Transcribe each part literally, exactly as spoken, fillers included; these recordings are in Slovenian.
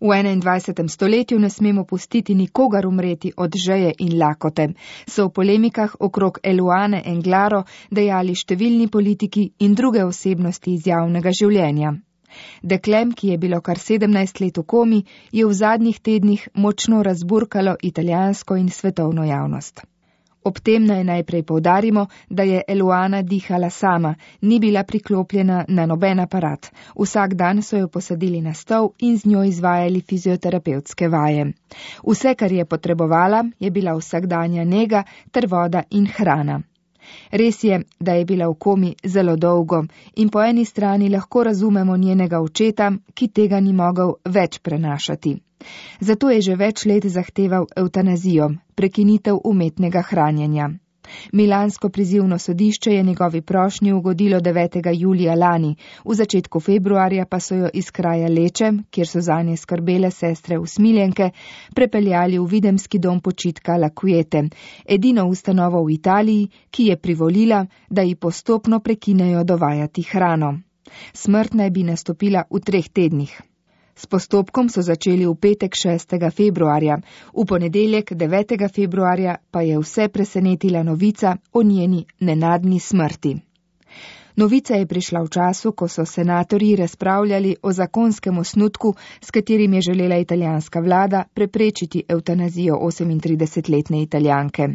V enaindvajsetem stoletju ne smemo pustiti nikogar umreti od žeje in lakote, so v polemikah okrog Eluane Englaro dejali številni politiki in druge osebnosti iz javnega življenja. Deklem, ki je bilo kar sedemnajst let v komi, je v zadnjih tednih močno razburkalo italijansko in svetovno javnost. Ob tem naj najprej poudarimo, da je Eluana dihala sama, ni bila priklopljena na noben aparat. Vsak dan so jo posadili na stol in z njo izvajali fizioterapevtske vaje. Vse, kar je potrebovala, je bila vsakdanja nega ter voda in hrana. Res je, da je bila v komi zelo dolgo in po eni strani lahko razumemo njenega očeta, ki tega ni mogel več prenašati. Zato je že več let zahteval evtanazijo, prekinitev umetnega hranjenja. Milansko prizivno sodišče je njegovi prošnji ugodilo devetega julija lani, v začetku februarja pa so jo iz kraja Leče, kjer so zanje skrbele sestre usmiljenke, prepeljali v videmski dom počitka La Quiete, edino ustanovo v Italiji, ki je privolila, da ji postopno prekinejo dovajati hrano. Smrt naj bi nastopila v treh tednih. S postopkom so začeli v petek šestega februarja, v ponedeljek devetega februarja pa je vse presenetila novica o njeni nenadni smrti. Novica je prišla v času, ko so senatorji razpravljali o zakonskem osnutku, s katerim je želela italijanska vlada preprečiti evtanazijo osemintridesetletne Italijanke.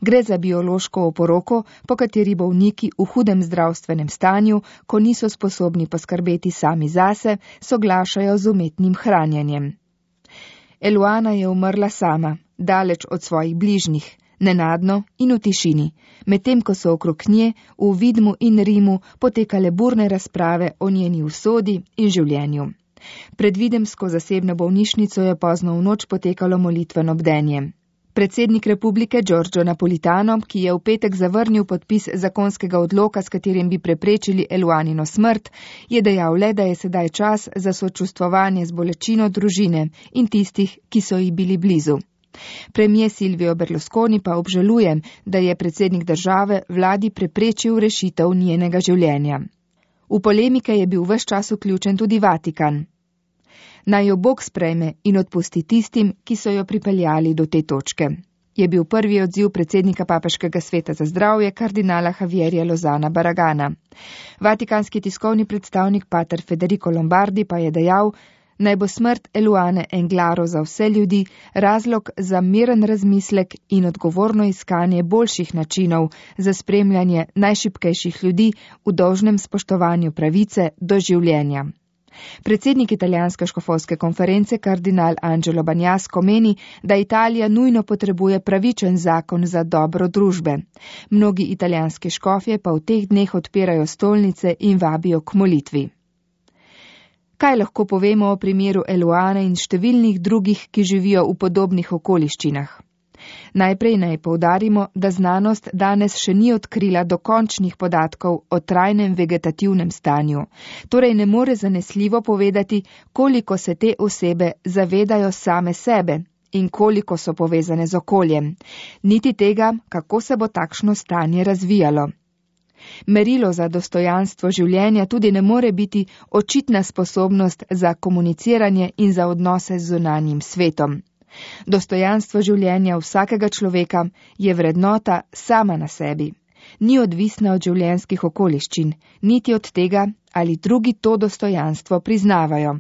Gre za biološko oporoko, po kateri bolniki v hudem zdravstvenem stanju, ko niso sposobni poskrbeti sami zase, soglašajo z umetnim hranjenjem. Eluana je umrla sama, daleč od svojih bližnjih, nenadno in v tišini, medtem ko so okrog nje v Vidmu in Rimu potekale burne razprave o njeni usodi in življenju. Pred videmsko zasebno bolnišnico je pozno v noč potekalo molitveno bdenje. Predsednik republike Giorgio Napolitano, ki je v petek zavrnil podpis zakonskega odloka, s katerim bi preprečili Eluanino smrt, je dejal le, da je sedaj čas za sočustvovanje z bolečino družine in tistih, ki so ji bili blizu. Premier Silvio Berlusconi pa obžaluje, da je predsednik države vladi preprečil rešitev njenega življenja. V polemike je bil ves čas vključen tudi Vatikan. Naj jo Bog sprejme in odpusti tistim, ki so jo pripeljali do te točke, je bil prvi odziv predsednika Papežskega sveta za zdravje kardinala Javierja Lozana Barragana. Vatikanski tiskovni predstavnik pater Federico Lombardi pa je dejal, naj bo smrt Eluane Englaro za vse ljudi razlog za miren razmislek in odgovorno iskanje boljših načinov za spremljanje najšibkejših ljudi v dolžnem spoštovanju pravice do življenja. Predsednik italijanske škofovske konference kardinal Angelo Bagnasco meni, da Italija nujno potrebuje pravičen zakon za dobro družbe. Mnogi italijanski škofje pa v teh dneh odpirajo stolnice in vabijo k molitvi. Kaj lahko povemo o primeru Eluane in številnih drugih, ki živijo v podobnih okoliščinah? Najprej naj poudarimo, da znanost danes še ni odkrila dokončnih podatkov o trajnem vegetativnem stanju, torej ne more zanesljivo povedati, koliko se te osebe zavedajo same sebe in koliko so povezane z okoljem, niti tega, kako se bo takšno stanje razvijalo. Merilo za dostojanstvo življenja tudi ne more biti očitna sposobnost za komuniciranje in za odnose z zunanjim svetom. Dostojanstvo življenja vsakega človeka je vrednota sama na sebi. Ni odvisna od življenjskih okoliščin, niti od tega, ali drugi to dostojanstvo priznavajo.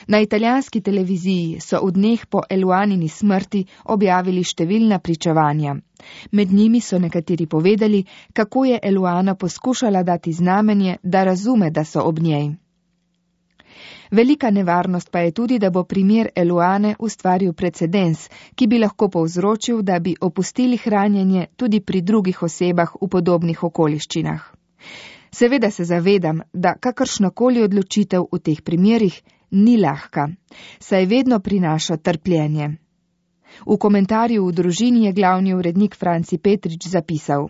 Na italijanski televiziji so v dneh po Eluanini smrti objavili številna pričevanja. Med njimi so nekateri povedali, kako je Eluana poskušala dati znamenje, da razume, da so ob njej. Velika nevarnost pa je tudi, da bo primer Eluane ustvaril precedens, ki bi lahko povzročil, da bi opustili hranjenje tudi pri drugih osebah v podobnih okoliščinah. Seveda se zavedam, da kakršnakoli odločitev v teh primerih ni lahka, saj vedno prinaša trpljenje. V komentarju v družini je glavni urednik Franci Petrič zapisal: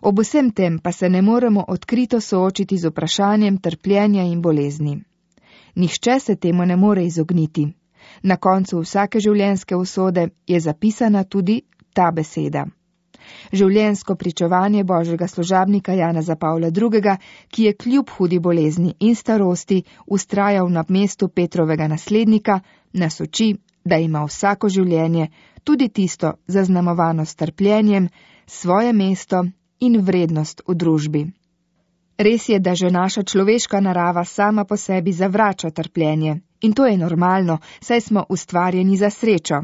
ob vsem tem pa se ne moremo odkrito soočiti z vprašanjem trpljenja in bolezni. Nihče se temu ne more izogniti. Na koncu vsake življenjske usode je zapisana tudi ta beseda. Življenjsko pričevanje božjega služabnika Janeza Pavla drugega., ki je kljub hudi bolezni in starosti ustrajal na mestu Petrovega naslednika, nas uči, da ima vsako življenje, tudi tisto zaznamovano s trpljenjem, svoje mesto in vrednost v družbi. Res je, da že naša človeška narava sama po sebi zavrača trpljenje, in to je normalno, saj smo ustvarjeni za srečo.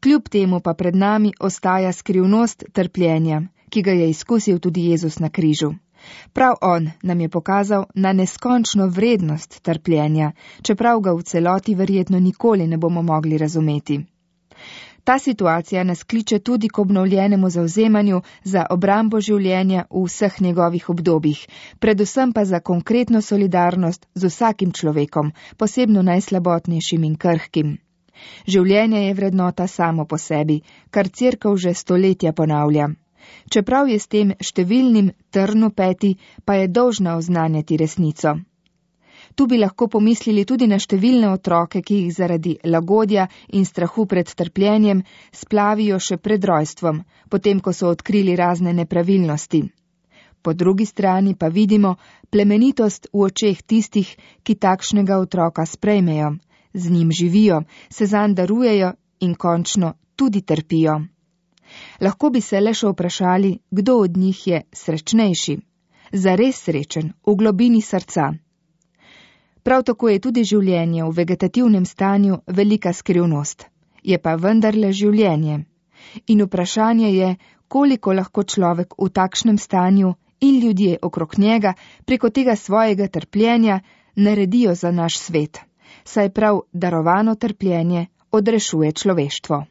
Kljub temu pa pred nami ostaja skrivnost trpljenja, ki ga je izkusil tudi Jezus na križu. Prav on nam je pokazal na neskončno vrednost trpljenja, čeprav ga v celoti verjetno nikoli ne bomo mogli razumeti. Ta situacija nas kliče tudi k obnovljenemu zavzemanju za obrambo življenja v vseh njegovih obdobjih, predvsem pa za konkretno solidarnost z vsakim človekom, posebno najslabotnejšim in krhkim. Življenje je vrednota samo po sebi, kar Cerkev že stoletja ponavlja. Čeprav je s tem številnim trn v peti, pa je dolžna oznanjati resnico. Tu bi lahko pomislili tudi na številne otroke, ki jih zaradi lagodja in strahu pred trpljenjem splavijo še pred rojstvom, potem ko so odkrili razne nepravilnosti. Po drugi strani pa vidimo plemenitost v očeh tistih, ki takšnega otroka sprejmejo, z njim živijo, se zanj darujejo in končno tudi trpijo. Lahko bi se le še vprašali, kdo od njih je srečnejši, zares srečen v globini srca. Prav tako je tudi življenje v vegetativnem stanju velika skrivnost, je pa vendarle življenje. In vprašanje je, koliko lahko človek v takšnem stanju in ljudje okrog njega preko tega svojega trpljenja naredijo za naš svet, saj prav darovano trpljenje odrešuje človeštvo.